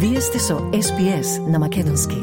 Вие сте со SPS на македонски.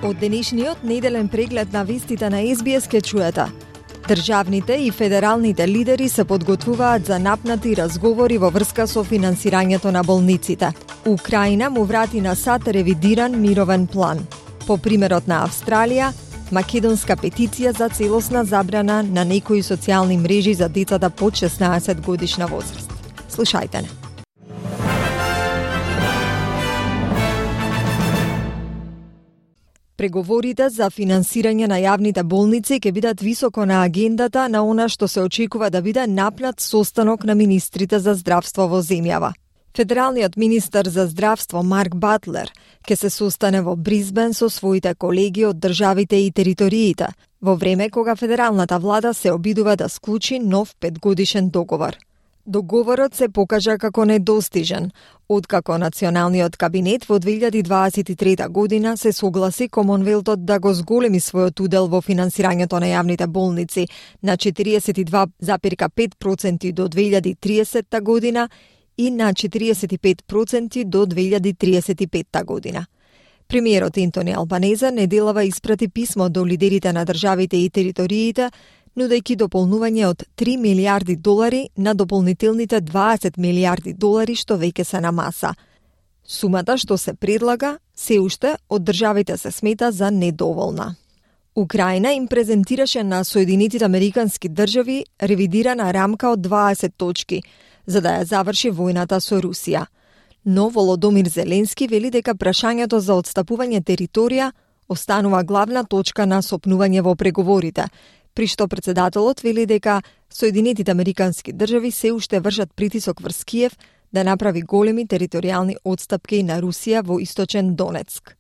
Од денешниот неделен преглед на вестите на SBS ке чуете. Државните и федералните лидери се подготвуваат за напнати разговори во врска со финансирањето на болниците. Украина му врати на САД ревидиран мировен план. По примерот на Австралија, македонска петиција за целосна забрана на некои социјални мрежи за децата под 16 годишна возраст. Слушајте не. Преговорите за финансирање на јавните болници ќе бидат високо на агендата на она што се очекува да биде напнат состанок на министрите за здравство во земјава. Федералниот министер за здравство Марк Батлер ќе се состане во Бризбен со своите колеги од државите и териториите, во време кога федералната влада се обидува да склучи нов 5-годишен договор. Договорот се покажа како недостижен, откако националниот кабинет во 2023 година се согласи Комонвелтот да го зголеми својот удел во финансирањето на јавните болници на 42,5% до 2030 година и на 45% до 2035 година. Премиерот Ентони Албанезе неделава испрати писмо до лидерите на државите и териториите, нудејќи дополнување од $3 милиарди на дополнителните $20 милиарди што веќе се на маса. Сумата што се предлага, се уште од државите се смета за недоволна. Украина им презентираше на Соединетите Американски држави ревидирана рамка од 20 точки, за да ја заврши војната со Русија. Но Володомир Зеленски вели дека прашањето за отстапување територија останува главна точка на сопнување во преговорите, при што председателот вели дека Соединетите Американски држави се уште вршат притисок врз Киев да направи големи територијални отстапки на Русија во источен Донецк.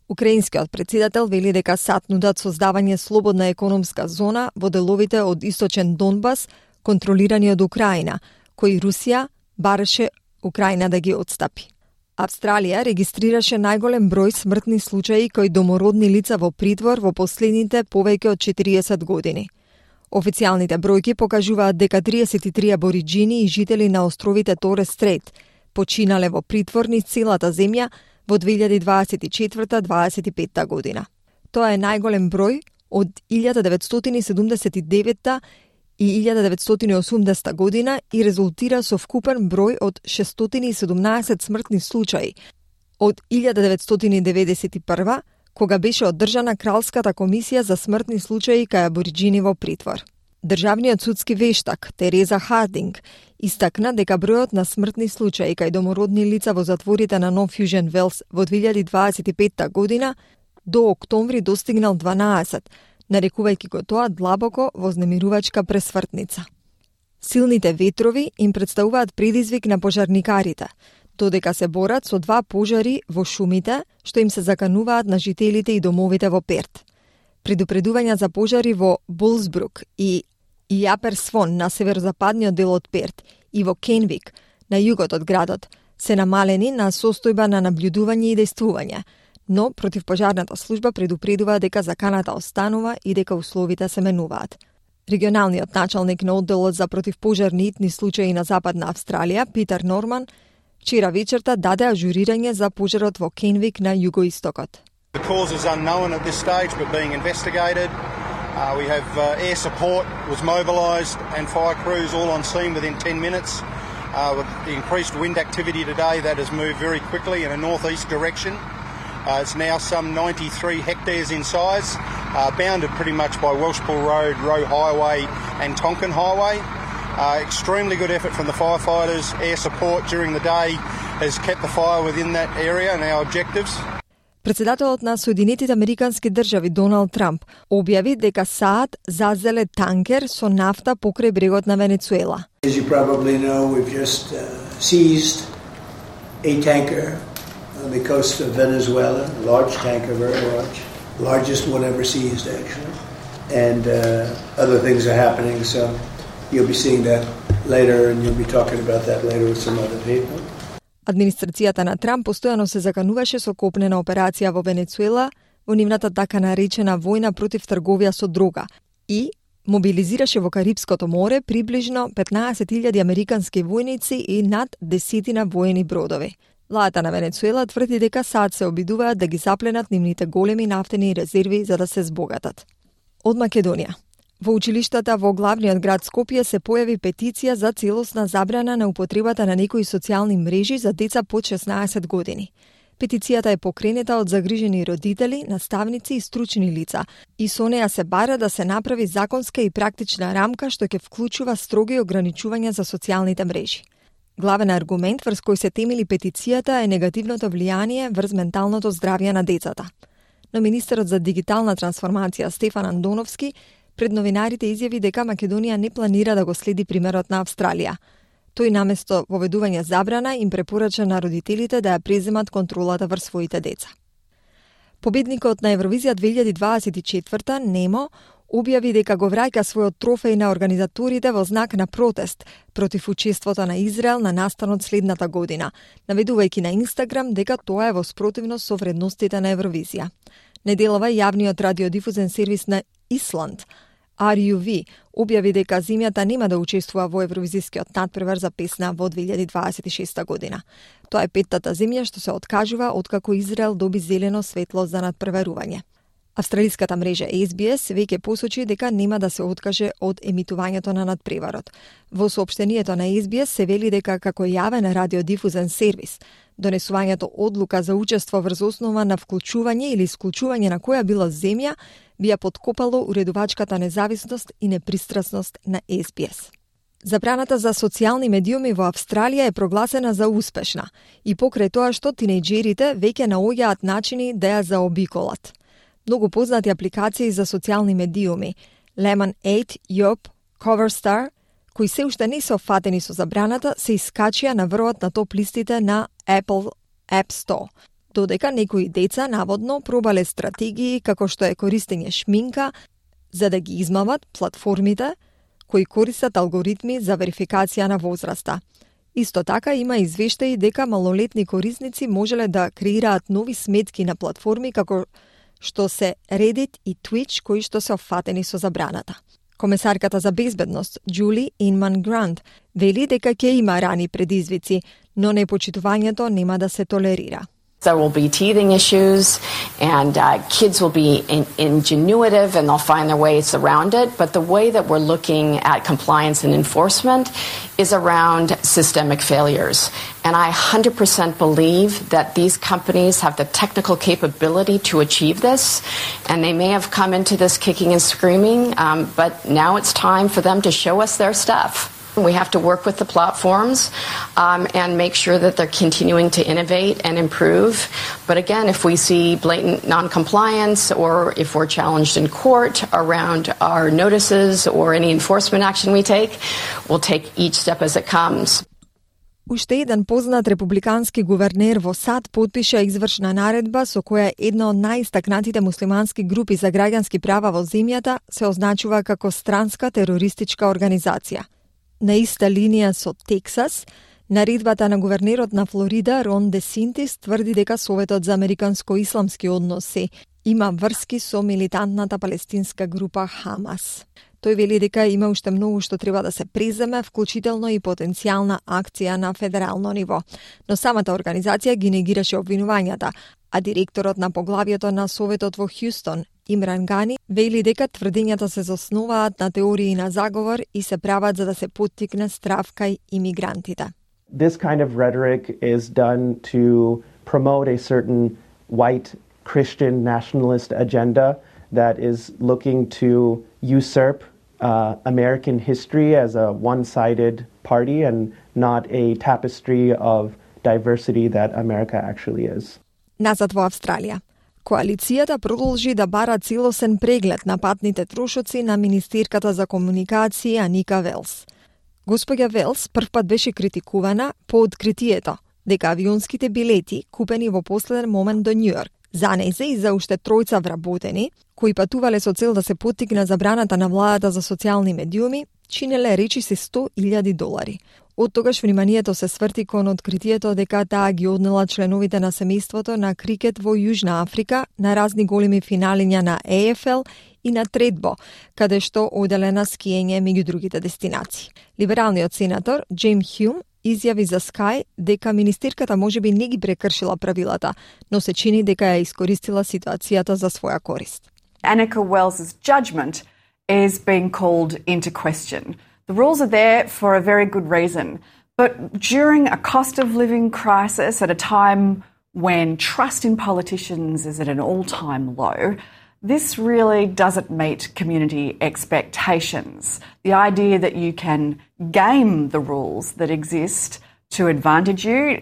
Украинскиот председател вели дека САД нудат создавање слободна економска зона во деловите од источен Донбас, контролирани од Украина, кои Русија бараше Украина да ги отстапи. Австралија регистрираше најголем број смртни случаи кои домородни лица во притвор во последните повеќе од 40 години. Официјалните бројки покажуваат дека 33 абориџини и жители на островите Торес Стрейт починале во притвор низ целата земја во 2024-25 година. Тоа е најголем број од 1979 и 1980 година и резултира со вкупен број од 617 смртни случаи од 1991, кога беше одржана Кралската комисија за смртни случаи кај абориџини во притвор. Државниот судски вештак Тереза Хардинг истакна дека бројот на смртни случаи кај домородни лица во затворите на Нов Јужен Велс во 2025 година до октомври достигнал 12, нарекувајќи го тоа длабоко вознемирувачка пресвртница. Силните ветрови им представуваат предизвик на пожарникарите, додека се борат со 2 пожари во шумите, што им се закануваат на жителите и домовите во Перт. Предупредувања за пожари во Булсбрук и Јаперсвон на северозападниот дел од Перт и во Кенвик на југот од градот се намалени на состојба на наблюдување и дејствување, но противпожарната служба предупредува дека заканата останува и дека условите се менуваат. Регионалниот началник на одделот за противпожарни итни случаи на Западна Австралија, Питер Норман, вчера вечерта даде ажурирање за пожарот во Кенвик на југоистокот. The cause is unknown at this stage but being investigated. We have air support was mobilised and fire crews all on scene within 10 minutes. With the increased wind activity today, that has moved very quickly in a northeast direction. It's now some 93 hectares in size, bounded pretty much by Welshpool Road, Roe Highway and Tonkin Highway. Extremely good effort from the firefighters. Air support during the day has kept the fire within that area and our objectives. Председателот на Соединетите Американски држави Доналд Трамп објави дека САД зазеле танкер со нафта покрај брегот на Венецуела. As you probably know, we've just seized a tanker on the coast of Venezuela, a large tanker, very large, largest one ever seized actually, and other things are happening, so you'll be seeing that later and you'll be talking about that later with some other people. Администрацијата на Трамп постојано се закануваше со копнена операција во Венецуела во нивната така наречена војна против трговија со дрога и мобилизираше во Карипското море приближно 15.000 американски војници и над 10 воени бродови. Владата на Венецуела тврди дека САД се обидуваат да ги запленат нивните големи нафтени резерви за да се збогатат. Од Македонија. Во училиштата во главниот град Скопје се појави петиција за целосна забрана на употребата на некои социјални мрежи за деца под 16 години. Петицијата е покренета од загрижени родители, наставници и стручни лица и со неа се бара да се направи законска и практична рамка што ќе вклучува строги ограничувања за социјалните мрежи. Главен аргумент врз кој се темели петицијата е негативното влијание врз менталното здравје на децата. Но министерот за дигитална трансформација Стефан Андоновски пред новинарите изјави дека Македонија не планира да го следи примерот на Австралија. Тој наместо воведување забрана им препорача на родителите да ја преземат контролата врз своите деца. Победникот на Евровизија 2024 Немо објави дека го враќа својот трофеј на организаторите во знак на протест против учеството на Израел на настанот следната година, наведувајќи на Инстаграм дека тоа е во спротивност со вредностите на Евровизија. Неделава јавниот радиодифузен сервис на Исланд, RUV, објави дека земјата нема да учествува во Евровизискиот натпревар за песна во 2026 година. Тоа е петтата земја што се откажува откако Израел доби зелено светло за натпреварување. Австралиската мрежа SBS веќе посочи дека нема да се откаже од емитувањето на надпреварот. Во соопштението на SBS се вели дека како јавен радиодифузен сервис, донесувањето одлука за учество врз основа на вклучување или исклучување на која била земја би ја подкопало уредувачката независност и непристрасност на SBS. Забраната за социјални медиуми во Австралија е прогласена за успешна и покрај тоа што тинејџерите веќе наоѓаат начини да ја заобиколат. Многу познати апликации за социјални медиуми, Lemon8, Yelp, Coverstar, кои се уште не се офатени со забраната, се искачија на врвот на топ листите на Apple App Store, додека некои деца наводно пробале стратегии како што е користење шминка за да ги измамат платформите кои користат алгоритми за верификација на возраста. Исто така има извештаи дека малолетни корисници можеле да креираат нови сметки на платформи како што се Reddit и Twitch кои што се офатени со забраната. Комесарката за безбедност Джули Инман Грант вели дека ќе има рани предизвици, но непочитувањето нема да се толерира. There will be teething issues, and kids will be ingenuitive, and they'll find their ways around it. But the way that we're looking at compliance and enforcement is around systemic failures. And I 100% believe that these companies have the technical capability to achieve this, and they may have come into this kicking and screaming, but now it's time for them to show us their stuff. We have to work with the platforms and make sure that they're continuing to innovate and improve. But again, if we see blatant non-compliance or if we're challenged in court around our notices or any enforcement action we take, we'll take each step as it comes. Уште еден познат републикански гувернер во САД потпиша извршна наредба со која една од најистакнатите муслимански групи за граѓански права во земјата се означува како странска терористичка организација. На иста линија со Тексас, наредбата на гувернерот на Флорида Рон Десантис тврди дека Советот за американско-исламски односи има врски со милитантната палестинска група Хамас. Тој вели дека има уште многу што треба да се преземе, вклучително и потенцијална акција на федерално ниво. Но самата организација ги негираше обвинувањата, а директорот на поглавието на Советот во Хјустон, Имран Гани, вели дека тврдењата се заснуваат на теории на заговор и се прават за да се поттикне страв кај имигрантите. This kind of rhetoric is done to promote a certain white Christian nationalist agenda that is looking to usurp American history as a one-sided party and not a tapestry of diversity that America actually is. Назад во Австралија. Коалицијата продолжи да бара целосен преглед на патните трошоци на министерката за комуникација Аника Велс. Господја Велс првпат беше критикувана по откритието дека авионските билети купени во последен момент до Њујорк за незе и за уште тројца вработени, кои патувале со цел да се поттикне забраната на владата за социјални медиуми, чинеле речиси $100,000. Од тогаш вниманието се сврти кон откритието дека таа ги однела членовите на семејството на крикет во Јужна Африка на разни големи финалиња на AFL и на Тредбо, каде што оделена скиење меѓу другите дестинации. Либералниот сенатор Джейм Хјум изјави за Sky дека министерката можеби не ги прекршила правилата, но се чини дека ја искористила ситуацијата за своја корист. Annika Wells's judgment is being called into question. The rules are there for a very good reason, but during a cost of living crisis at a time when trust in politicians is at an all-time low, this really doesn't meet community expectations. The idea that you can game the rules that exist to advantage you.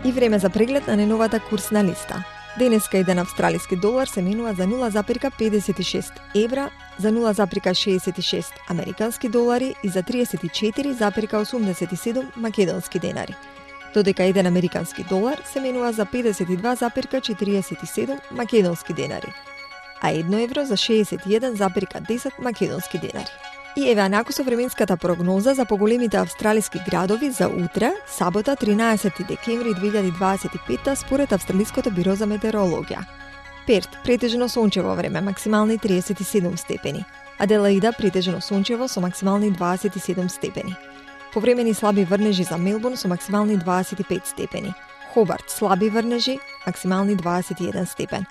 И време за преглед на неновата курсна листа. Денеска еден австралиски долар се менува за 0,56 евра, за 0,66 американски долари и за 34,87 македонски денари. Додека еден американски долар се менува за 52,47 македонски денари, а 1 евро за 61,10 македонски денари. И еве анаку со временската прогноза за поголемите австралиски градови за утре, сабота 13 декември 2025 според Австралиското биро за метеорологија. Перт претежно сончево време, максимални 37 степени. Аделаида претежно сончево со максимални 27 степени. Повремени слаби врнежи за Мелбурн со максимални 25 степени. Хобарт слаби врнежи, максимални 21 степен.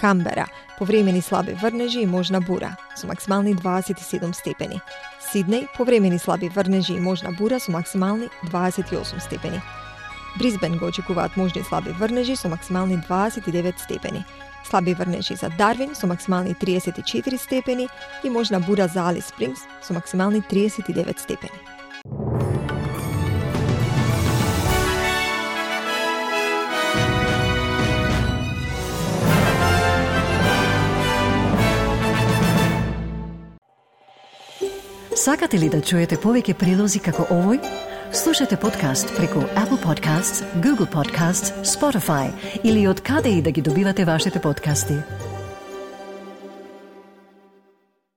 Камбера, повремени слаби врнежи и можна бура, со максимални 27 степени. Сиднеј, повремени слаби врнежи и можна бура со максимални 28 степени. Брисбен го очекуваат можни слаби врнежи со максимални 29 степени. Слаби врнежи за Дарвин со максимални 34 степени и можна бура за Алис Спрингс со максимални 39 степени. Сакате ли да чуете повеќе прилози како овој? Слушате подкаст преку Apple Podcasts, Google Podcasts, Spotify или од каде и да ги добивате вашите подкасти.